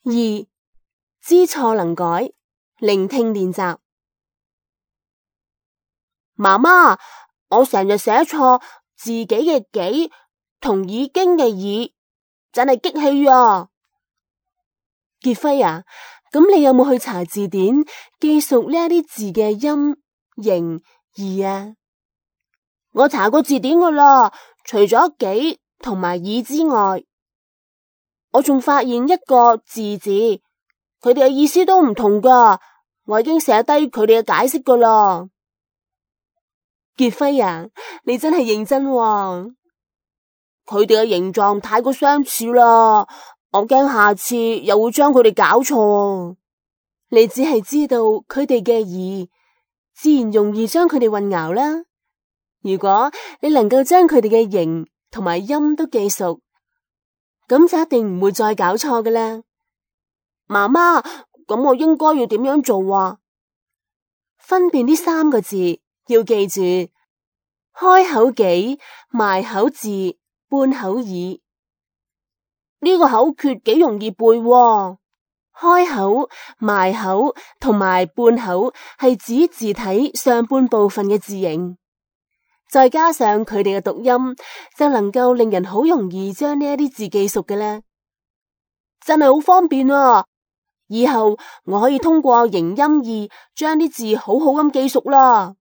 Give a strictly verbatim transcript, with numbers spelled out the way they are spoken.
二、知錯能改，聆聽練習。媽媽，我成日寫錯自己嘅己同已經嘅已，真係激氣啊！傑輝啊，咁你有冇去查字典記熟呢一啲字嘅音、形、義啊？我查過字典噶啦，除咗己同埋已之外，我仲發現一個字字，佢哋嘅意思都唔同噶。我已經寫低佢哋嘅解釋噶啦。傑輝啊，你真係認真喎。佢哋嘅形狀太過相似啦，我驚下次又會將佢哋搞錯。你只係知道佢哋嘅義，自然容易將佢哋混淆啦。如果你能夠將佢哋嘅形同埋音都記熟，咁就一定唔會再搞錯噶啦。媽媽，咁我應該要點樣做啊？分辨呢三個字，要記住開口己、埋口字、半口已。呢個口訣幾容易背喎。開口、埋口同埋半口係指字體上半部分嘅字形，再加上佢哋嘅讀音，就能夠令人好容易將呢一啲字記熟嘅啦。真係好方便啊！以後我可以通過形音義將啲字好好咁記熟啦。